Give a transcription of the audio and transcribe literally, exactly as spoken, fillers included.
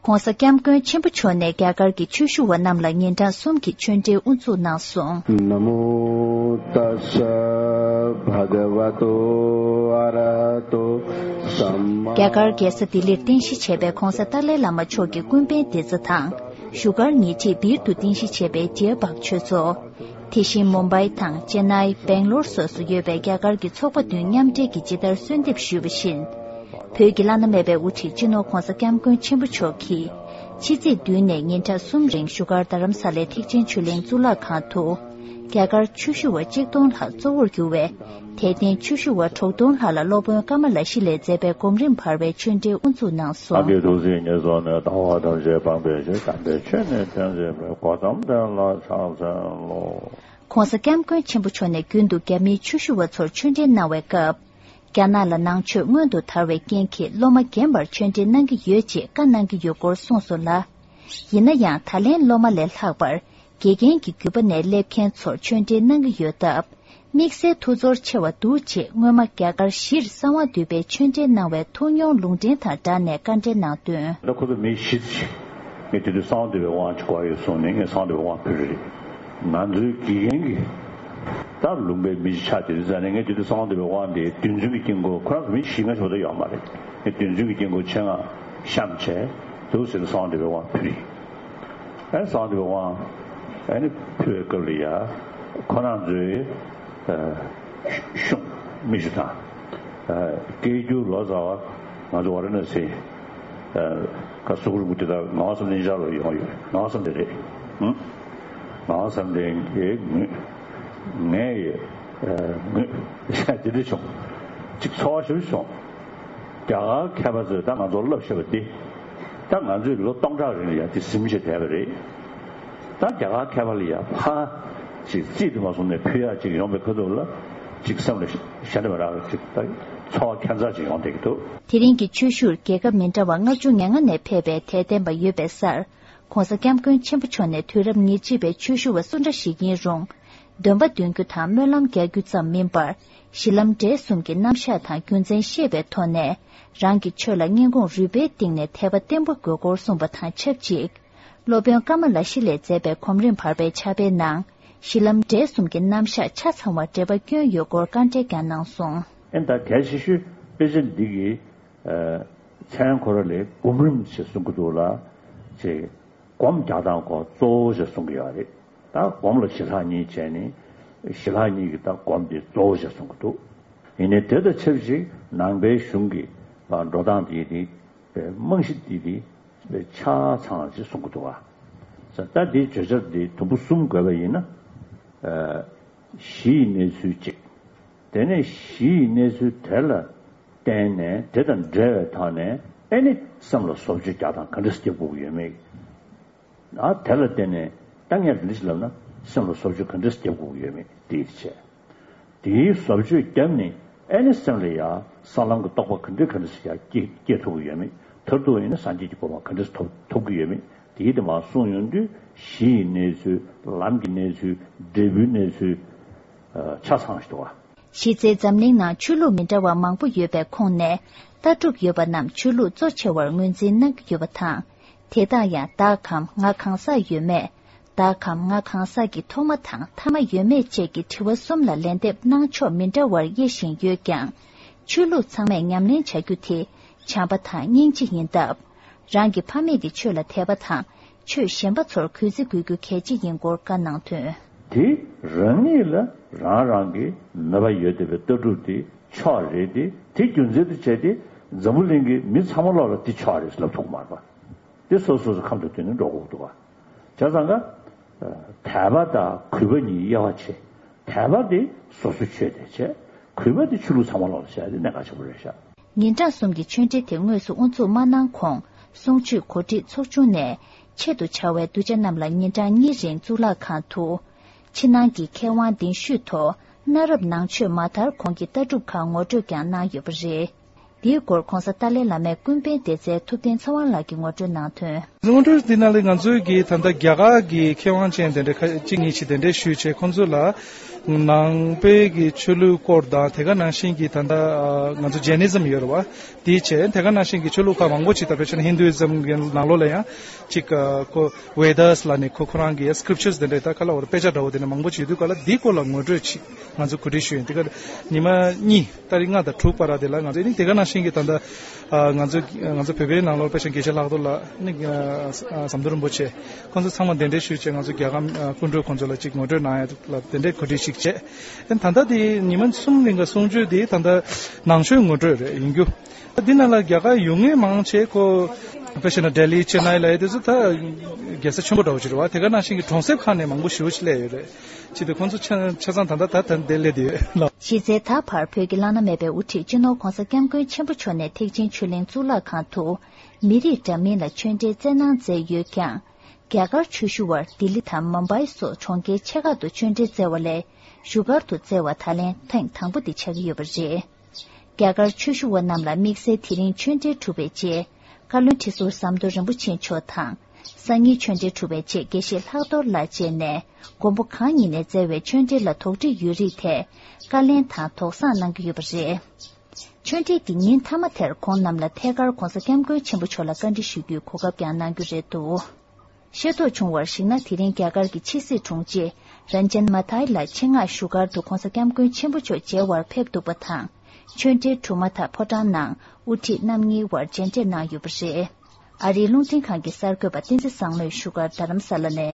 ༸གོང་ས་༸སྐྱབས་མགོན་ཆེན་པོ་མཆོག་ནས་རྒྱ་གར་གྱི་ཆོས་ཞུ་བ་རྣམས་ལ་ཉིན་གྲངས་གསུམ་གྱི་ཆོས་འབྲེལ་དབུ་འཛུགས་གནང་སོང་། นะโมตัสสะ ภะคะวะโต อะระหะโต สัมมา རྒྱ་གར་རྒྱལ་ས་ལྡི་ལིར་རྟེན་གཞི་བྱས་པའི་༸གོང་ས་ཏཱ་ལའི་བླ་མ་མཆོག་གི་ཀུན་ཕན་བདེ་རྩ་དང་། བཞུགས་སྒར་ཉེ་འཁྲིས་སྦིར་དུ་རྟེན་གཞི་བྱས་པའི་རྒྱལ་འབངས་ཆོས་ཚོགས། དེ་བཞིན་མུམ་བྷའི་དང་ཅེན་ནའི། སྦེང་ལོར་སོགས་སུ་ཡོད་པའི་རྒྱ་གར་གྱི་ཚོགས་པ་བདུན་མཉམ་འབྲེལ་གྱིས་ཇི་ལྟར་གསོལ་འདེབས་ཞུས་པ་བཞིན། བོད་ཀྱི་བླ་ན་མེད་པའི་དབུ་ཁྲིད་སྤྱི་ནོར་༸གོང་ས་༸སྐྱབས་མགོན་ཆེན་པོ་མཆོག་གིས། ཕྱི་ཚེས་བདུན་ནས་ཉིན་གྲངས་གསུམ་རིང་བཞུགས་སྒར་རྡ་རམ་ས་ལའི་ཐེག་ཆེན་ཆོས་གླིང་གཙུག་ལག་ཁང་དུ། རྒྱ་གར་ཆོས་ཞུ་བ་གཅིག་སྟོང་ལྷག་གཙོ་བོར་གྱུར་བའི་དད་ལྡན་ཆོས་ཞུ་བ་དྲུག་སྟོང་ལྷག་ལ་སློབ་དཔོན་ཀ་མ་ལ་ཤཱི་ལས་མཛད་པའི་གོམ་རིམ་བར་བའི་ཆོས་འབྲེལ་དབུ་འཛུགས་གནང་སོང་། ཨ་ཀྱེ་ཐུགས་སྲས་ཉེར་ཚོགས་ནས། ལྟ་བ་ཐམས་ཅད་སྤངས་པའི་ཕྱིར། དམ་པའི་ཆོས་ནི་སྟོན་མཛད་པའི། གོ་ཏམ་དེ་ལ་ཕྱག་འཚལ་ལོ། ༸གོང་ས་༸སྐྱབས་མགོན་ཆེན་པོ་མཆོག་ནས་རྒྱུན་དུ་རྒྱ་མིའི་ཆོས་ཞུ་བ་ཚོར་ཆོས་འབྲེལ་གནང་བའི་སྐབས། རྒྱ་ནག་ལ་ནང་ཆོས་སྔོན་དུ་དར་བའི་རྐྱེན་གྱིས་སློབ་མ་རྒན་པར་ཆོས་འབྲེལ་གནང་གི་ཡོད་ཅེས་བཀའ་གནང་གི་ཡོད་སྐོར་གསུངས་སོང་ལ། ཡིན་ན་ཡང་ད་ལན་སློབ་མ་ལས་ལྷག་པར་དགེ་རྒན་གྱི་བརྒྱུད་པ་ནས་སླེབས་མཁན་ཚོར་ཆོས་འབྲེལ་གནང་གི་ཡོད་སྟབས། དམིགས་བསལ་ཐུགས་ཚོར་ཆེ་བ་འདུག་ཅེས་སྔོན་མ་རྒྱ་གར་གཞིར་གསང་བ་འདུས་པའི་ཆོས་འབྲེལ་གནང་བའི་ཐུགས་མྱོང་ལུང་འདྲེན་དང་སྦྲགས་ནས་བཀའ་འདྲི་གནང་དོན། ད་ཁོ་ཚོ་མི་བཞི་ཅིག་ངས་དེ་དུས་གསང་བ་འདུས་པའི་དབང་ཅིག་དགོས་ཡོད་གསུངས་ནས། ངས་གསང་བ་འདུས་པའི་དབང་ཕུལ་རེད། ང་ཚོའི་དགེ་རྒན་གྱི་ད་ལུང་པའི་མི་ཅིག་ཆགས་བསྡད་དུས་ཙང་ནས། ངས་དེ་དུས་གསང་བ་འདུས་པའི་དབང་དེ་རྡུལ་ཚོན་གྱི་དཀྱིལ་འཁོར། ཁོ་རང་ཚོ་མི་བཞི་ལྔ་ཞིག་མ་གཏོགས་ཡོད་མ་རེད། ངས་རྡུལ་ཚོན་གྱི་དཀྱིལ་འཁོར་ཆེད་མངགས་བཤམས་བྱས། འདུག་ཟེར་ནས་གསང་བ་འདུས་པའི་དབང་ཕུལ་ཡིན། ཨ་ནི་གསང་བ་འདུས་པའི་དབང་ཨ་ནི་ཕུལ་བའི་སྐབས་ལ་ཡ། ཁོ་རང་ཚོའི་ཨ་གཞུང་མི་ཞིག་དང་། ཨ་སྐད་སྒྱུར་ལོ་ཙཱ་བ་ང་ཚོ་ཝཱ་ར་ཎ་སི་ཨ་ག་སུ་གུ་རུ་གུ་དེ་དག་ངག་དབང་བསམ་གཏན་ཤར་ལ་ཡོང་ཡོད། ངག་དབང་བསམ་གཏན་རེད། ཨང་། ངག་དབང་བསམ་གཏན་གྱི་ངོས། ངའི་ཨ་ངོས་དེ་འདྲ་བྱུང་། ཅིག་ཚོར་བ་ཞེ་པོ་བྱུང་། རྒྱ་གར་མཁས་པ་ཚོས་ད་ང་ཚོར་བསླབ་བཞག་པ་འདི། ད་ང་ཚོས་ལོ་སྟོང་ཕྲག་རིང་ལ་ཡ་དེ་ཟིན་བྱས་བསྡད་པ་རེད། ད་རྒྱ་གར་མཁས་པ་ལ་ཡ་ཕར་ཅིག་རྩིས་དེ་མ་སོང་ནས་ཕུལ་ཡག་ཅིག་ཡོང་པའི་ཁ་ཐུག་ལ། ཅིག་སེམས་ལ་ཞེ་དྲག་མ་རག་ཅིག་ད་ཚོར་བ་ཁྱད་མཚར་ཅིག་ཡོང་བསྡད་ཀྱི་འདུག་དེ་རིང་གི་ཆོས་ཞུར་རྒྱལ་ཁབ་མི་འདྲ་བ་ལྔ་བཅུ་ང་ལྔ་ནས་ཕེབས་པའི་དད་ལྡན་པ་ཡོད་པའི་སར། ༸གོང་ས་༸སྐྱབས་མགོན་ཆེན་པོ་མཆོག་ནས་དུས་རབས་ཉེར་གཅིག་པའི་ཆོས་ཞུ་བ་སུ་འདྲ་ཞིག་ཡིན་རུང་། འདོན་པ་འདོན་རྒྱུ་དང་སྨོན་ལམ་རྒྱག་རྒྱུ་ཙམ་མིན་པར། གཞི་ལམ་འབྲས་གསུམ་གྱི་རྣམ་གཞག་དང་རྒྱུ་མཚན་ཤེས་པའི་ཐོག་ནས། རང་གི་ཆོས་ལ་སྙིང་ཁོང་རུས་པའི་གཏིང་ནས་དད་པ་བརྟན་པོ་དགོས་སྐོར་གསུངས་པ་དང་ཆབས་ཅིག་སློབ་དཔོན་ཀ་མ་ལ་ཤཱི་ལས་མཛད་པའི་གོམ་རིམ་བར་པའི་ཕྱག་དཔེའི་ནང་། གཞི་ལམ་འབྲས་གསུམ་གྱི་རྣམ་གཞག་ཆ་ཚང་བ་འགྲེལ་པ་བསྐྱོན་ཡོད་སྐོར་བཀའ་འགྲེལ་ཀྱང་གནང་སོང་། ཨེ་ད་གལ་ཆེ་ཤོས་དཔེ་ཆ་འདི་གི་ཨ་མཚན་ཁོ་ར་ལས་སྒོམ་རིམ་ཞེས་གསུང་གི་འདུག་ལ། ཅེས་སྒོམ་རྒྱག་སྟངས་ཁོ་གཙོ་བོ་ཞེས་གསུང་གི་ཡོད་རེད། ད་སྒོམ་ལ་ཞི་ལྷག་གཉིས་བྱས་ནས། ཞི་ལྷག་གཉིས་ཀྱི་ད་སྒོམ་དེ་གཙོ་བོ་ཞེས་གསུང་གི་འདུག་ཡིན་ནའི་དེ་དང་ཆབས་ཅིག་ནང་པའི་གཞུང་གི་འགྲོ་སྟངས་དེ་དེ་རྨང་གཞི་དེ་དེ་ཆ་ཚང་ཞེས་གསུང་གི་འདུག་བ། ད་དེའི་བརྗོད་བྱ་དེ་དུམ་བུ་གསུམ་བགོས་པ་ཡིན་ན། གཞི་ཡི་གནས་ཚུལ་གཅིག་དེ་ནས་གཞི་ཡི་གནས་ཚུལ་དེ་ལ་བརྟེན་ནས། དེ་དང་འབྲེལ་བའི་ཐོག་ནས་ཨེ་ནི་སེམས་ལ་བཟོ་བཅོས་རྒྱག་སྟངས་ག་འདྲ་སེ་རྒྱག་དགོས་ཀྱི་ཡོད་མེད། ཨ་དེ་ལ་བརྟེན་ནས་ད་ངས་འདི་འདྲ་ཞིག་ལབ་ན་སེམས་ལ་བཟོ་བཅོས་ག་འདྲ་སེ་རྒྱག་དགོས་ཀྱི་ཡོད་མེད་དེ་བྱས། དེའི་བཟོ་བཅོས་བརྒྱབ་ནས་ཨེ་ནི་སེམས་ལ་ཡ་ས་ལམ་གྱི་རྟོགས་པ་ག་འདྲ་ག་འདྲ་ཞིག་ཡ་སྐྱེ་སྐྱེ་ཐུབ་ཀྱི་ཡོད་མེད། མཐར་ཐུག་ཡིན་ན་སངས་རྒྱས་ཀྱི་གོ་འཕང་ག་འདྲ་ཞིག་ཐོབ་ཐོབ་ཀྱི་ཡོད་མེད། དེའི་དེ་མར་གསུངས་ཡོང་དུས་གཞི་ཡི་གནས་ཚུལ། ལམ་གྱི་གནས་ཚུལ། འབྲས་བུའི་གནས་ཚུལ། ཆ་ཚང་ཞིག་འདུག་བ། གཞི་རྩའི་འཛམ་གླིང་ནང་ཆོས་ལུགས་མི་འདྲ་བ་མང་པོ་ཡོད་པའི་ཁོངས་ནས། ལྟ་གྲུབ་ཡོད་པ་རྣམས་ཆོས་ལུགས་གཙོ་ཆེ་བར་ངོས་འཛིན་གནང་གི་ཡོད་པ་དང་། དེ་དག་ཡང་བདག་གམ་ང་གང་ཟག་ཡོད་མེད། བདག་གམ་ང་གང་ཟག་གི་ཐོག་མ་དང་ཐ་མ་ཡོད་མེད་བཅས་ཀྱི་དྲི་བ་གསུམ་ལ་ལན་འདེབས་གནང་ཕྱོགས་མི་འདྲ་བར་དབྱེ་བཞིན་ཡོད་ཀྱང་། ཆོས་ལུགས་ཚང་མས་ཉམས་ལེན་བྱ་རྒྱུ་དེ་བྱམས་པ་དང་སྙིང་རྗེ་ཡིན་སྟབས། རང་གི་ཕ་མེས་ཀྱི་ཆོས་ལ་དད་པ་དང་ཆོས་གཞན་པ་ཚོར་གུས་བརྩི་དགོས་རྒྱུ་གལ་ཆེ་ཡིན་སྐོར་བཀའ་གནང་དོན། དེ་རང་ཉིད་ལ་རང་རང་གི་ནུས་པ་ཡོད་བསྡད་པའི་ལྟ་གྲུབ་དེ་ཕྱོགས་རེད་དེ། དེ་རྒྱུ་མཚན་དུ་བྱས་ཏེ་འཛམ་བུ་གླིང་གི་མི་ཚང་མ་ལོག་ལ་དེ་ཕྱོགས་རེད་ལབ་ཐུབ་ཀྱི་མ་རེད་པ། དེ་སོ་སོ་སོ་ཁམས་དང་བསྟུན་ནས་འགྲོ་དགོས་འདུག་པ། བྱས་ཙང་ཀ་དད་པ་དང་གུས་པ་གཉིས་དབྱེ་བ་ཕྱེ། དད་པ་དེ་སོ་སོ་ཆོས་དེ་བྱས། གུས་པ་དེ་ཆོས་ལུགས་ཚང་མ་ལོག་ལ་བྱས་ཏེ་གནད་འགག་ཆེན་པོ་རེད་ཤག་ཉིན་གྲངས་གསུམ་གྱི་ཆོས་འབྲེལ་དེ་དངོས་སུ་དབུ་འཛུགས་མ་གནང་གོང་། གསུང་ཆོས་གོ་སྒྲིག་ཚོགས་ཆུང་ནས་ཆེད་དུ་བཅར་བའི་གདུལ་བྱ་རྣམས་ལ་ཉིན་གྲངས་གཉིས་རིང་གཙུག་ལག་ཁང་དུ། ཕྱི་ནང་གི་མཁས་དབང་གདན་ཞུས་ཐོག་གནའ་རབས་ནང་ཆོས་མ་དར་གོང་གི་ལྟ་གྲུབ་ཁག་ངོ་སྤྲོད་ཀྱང་གནང་ཡོད་པ་རེད། འདིའི་སྐོར་༸གོང་ས་ཏཱ་ལའི་བླ་མའི་ཀུན་ཕན་སྡེ་ཚན་ཐུབ་བསྟན་ཚེ་དབང་ལགས་ཀྱིས་ངོ་སྤྲོད་གནང་དོན། ངོ་སྤྲོད་འདི་ནང་ལ་ང་ཚོའི་གི་ད་ལྟ་རྒྱ་གར་གྱི་མཁས་དབང་ཅན་དེ་འདྲ་ཁ་གཅིག་གཉིས་ཤིག་དེ་འདྲ་ཞུས་བྱས། ཁོང་ཚོ་ལ་ ནང་པའི་གི་ཆོས་ལུགས་སྐོར་དང་དེ་ག་ནང་བཞིན་གྱི་ད་ལྟ་ང་ཚོ་Jainism་ཡོད་རེད་བ། དེའི་ཆེད་དེ་ག་ནང་བཞིན་གྱི་ཆོས་ལུགས་ཁག་མང་པོ་ཅིག་ད་དཔེ་བྱས་ན་Hinduism་གི་ནང་ལོགས་ལ་ཡང་ཅིག་ཁོ་Vedas་ལ་ནི་ཁོ་ཁོ་རང་གི་scriptures་དེ་འདྲའི་ད་ག་ལ་བར་དཔེ་ཆ་འདྲ་བོ་དེ་འདྲ་མང་པོ་ཅིག་ཡོད་དུས་ག་ལ་འདིའི་སྐོར་ལ་ངོ་སྤྲོད་ཅིག་ང་ཚོ་གོ་སྒྲིག་ཞུས་ཡིན། དེ་ག་ཉི་མ་གཉིས་ཏ་རིག་ལྔ་དང་དྲུག་བར་དེ་ལ་ང་ཚོ་ནི་དེ་ག་ནང་བཞིན་གྱི་ད་ལྟ་ང་ཚོ་ང་ཚོ་བོད་པའི་ནང་ལོགས་དཔེ་བྱས་ན་དགེ་བཤེས་ལྷག་རྡོར་ལགས་ནི་ཟམ་གདོང་རིན་པོ་ཆེ་ཁོང་ཚོ་ཚང་མ་གདན་འདྲེན་ཞུས་བྱས་ང་ཚོ་རྒྱལ་ཁམས་སྐུ་མགྲོན་ཁོང་ཚོ་ལ་ཅིག་ངོ་སྤྲོད་གནང་ཡ་ལ་དེ་འདྲའི་གོ་སྒྲིག་ཞིག་བྱས། ད་ལྟ་དེ་ཉི་མ་གསུམ་རིང་ག་གསུང་ཆོས་དེ་ད་ལྟ་ནང་ཆོས་ངོ་སྤྲོད་རེད་ཡིན་རྒྱུ། འདི་ནང་ལ་རྒྱ་གར་ཡོང་མཁན་མང་ཆེ་ཁོ་དཔེ་བྱས་ན་ལྡི་ལི་ཅེ་ནའི་ལ་ཡ་དེ་ཚོ་ད་རྒྱལ་ས་ཆེན་པོ་འདྲ་བོ་ཅིག་རེད་བ། དེ་ག་ནང་བཞིན་གྱི་གྲོང་གསེབ་ཁག་ནས་མང་པོ་ཞེ་པོ་ཅིག་སླེབས་ཡོད་རེད། ཅི་སྟེ་ཁོང་ཚོ་ཆ་ཆ་ཚང་ད་ལྟ་ད་ད་འདིར་སླེབས་བསྡད་ཡོད་ལ། གཞི་རྩའི་ད་བར་བོད་ཀྱི་བླ་ན་མེད་པའི་དབུ་ཁྲིད་སྤྱི་ནོར་༸གོང་ས་༸སྐྱབས་མགོན་ཆེན་པོ་མཆོག་ནས་ཐེག་ཆེན་ཆོས་གླིང་གཙུག་ལག་ཁང་དུ་མི་རིགས་འདྲ་མིན་ལ་ཆོས་འབྲེལ་སྩལ་གནང་མཛད་ཡོད་ཀྱང་། རྒྱ་གར་ཆོས་ཞུ་བར་ལྡི་ལི་དང་མུམ་བྷའི་སོགས་གྲོང་ཁྱེར་ཆེ་ཁག་ཏུ་ཆོས་འབྲེལ་སྩལ་བ་ལས་བཞུགས་སྒར་དུ་སྩལ་བ་ད་ལན་ཐེངས་དང་པོ་དེ་ཆགས་ཀྱི་ཡོད་པ་རེད། རྒྱ་གར་ཆོས་ཞུ་བ་རྣམས་ལ་དམིགས་བསལ་དེ་རིང་ཆོས་འབྲེལ་གྲུབ་པའི་རྗེས། བཀའ་བློན་ཁྲི་ཟུར་ཟམ་གདོང་རིན་པོ་ཆེ་མཆོག་དང་། སང་ཉིན་ཆོས་འབྲེལ་གྲུབ་པའི་རྗེས་དགེ་བཤེས་ལྷག་རྡོར་ལགས་བཅས་ནས་མགོན་པོ་གང་ཉིད་ནས་སྩལ་བའི་ཆོས་འབྲེལ་ལ་དོགས་འདྲི་ཡོད་རིགས་ཐད་བཀའ་ལན་དང་དོགས་བཟང་གནང་གི་ཡོད་པ་རེད། ཆོས་འབྲེལ་གྱི་ཉིན་མཐའ་མ་དེར་ཁོང་རྣམས་ལ་ཐད་ཀར་༸གོང་ས་༸སྐྱབས་མགོན་ཆེན་པོ་མཆོག་ལ་བཀའ་འདྲི་ཞུ་རྒྱུའི་གོ་སྐབས་ཀྱང་གནང་རྒྱུ་རེད་འདུག་ཤེས་རྟོགས་བྱུང་བར་གཞིགས་ན། དེ་རིང་རྒྱ་གར་གྱི་ཕྱི་སྲིད་དྲུང་ཆེ་རན་ཇན་མ་ཐའི་ལགས་ཆེད་མངགས་བཞུགས་སྒར་དུ་༸གོང་ས་༸སྐྱབས་མགོན་ཆེན་པོ་མཆོག་མཇལ་བར་ཕེབས་འདུག་པ་དང་། ཆོས་འབྲེལ་གྲུབ་མ་ཐག་ཕོ་བྲང་ནང་དབུ་ཁྲིད་རྣམ་གཉིས་དབར་མཇལ་འཕྲད་གནང་ཡོད་པ་རེད། ཨ་རིའི་རླུང་འཕྲིན་ཁང་གི་གསར་འགོད་པ་བསྟན་འཛིན་བཟང་མོས་བཞུགས་སྒར་རྡ་རམ་ས་ལ་ནས།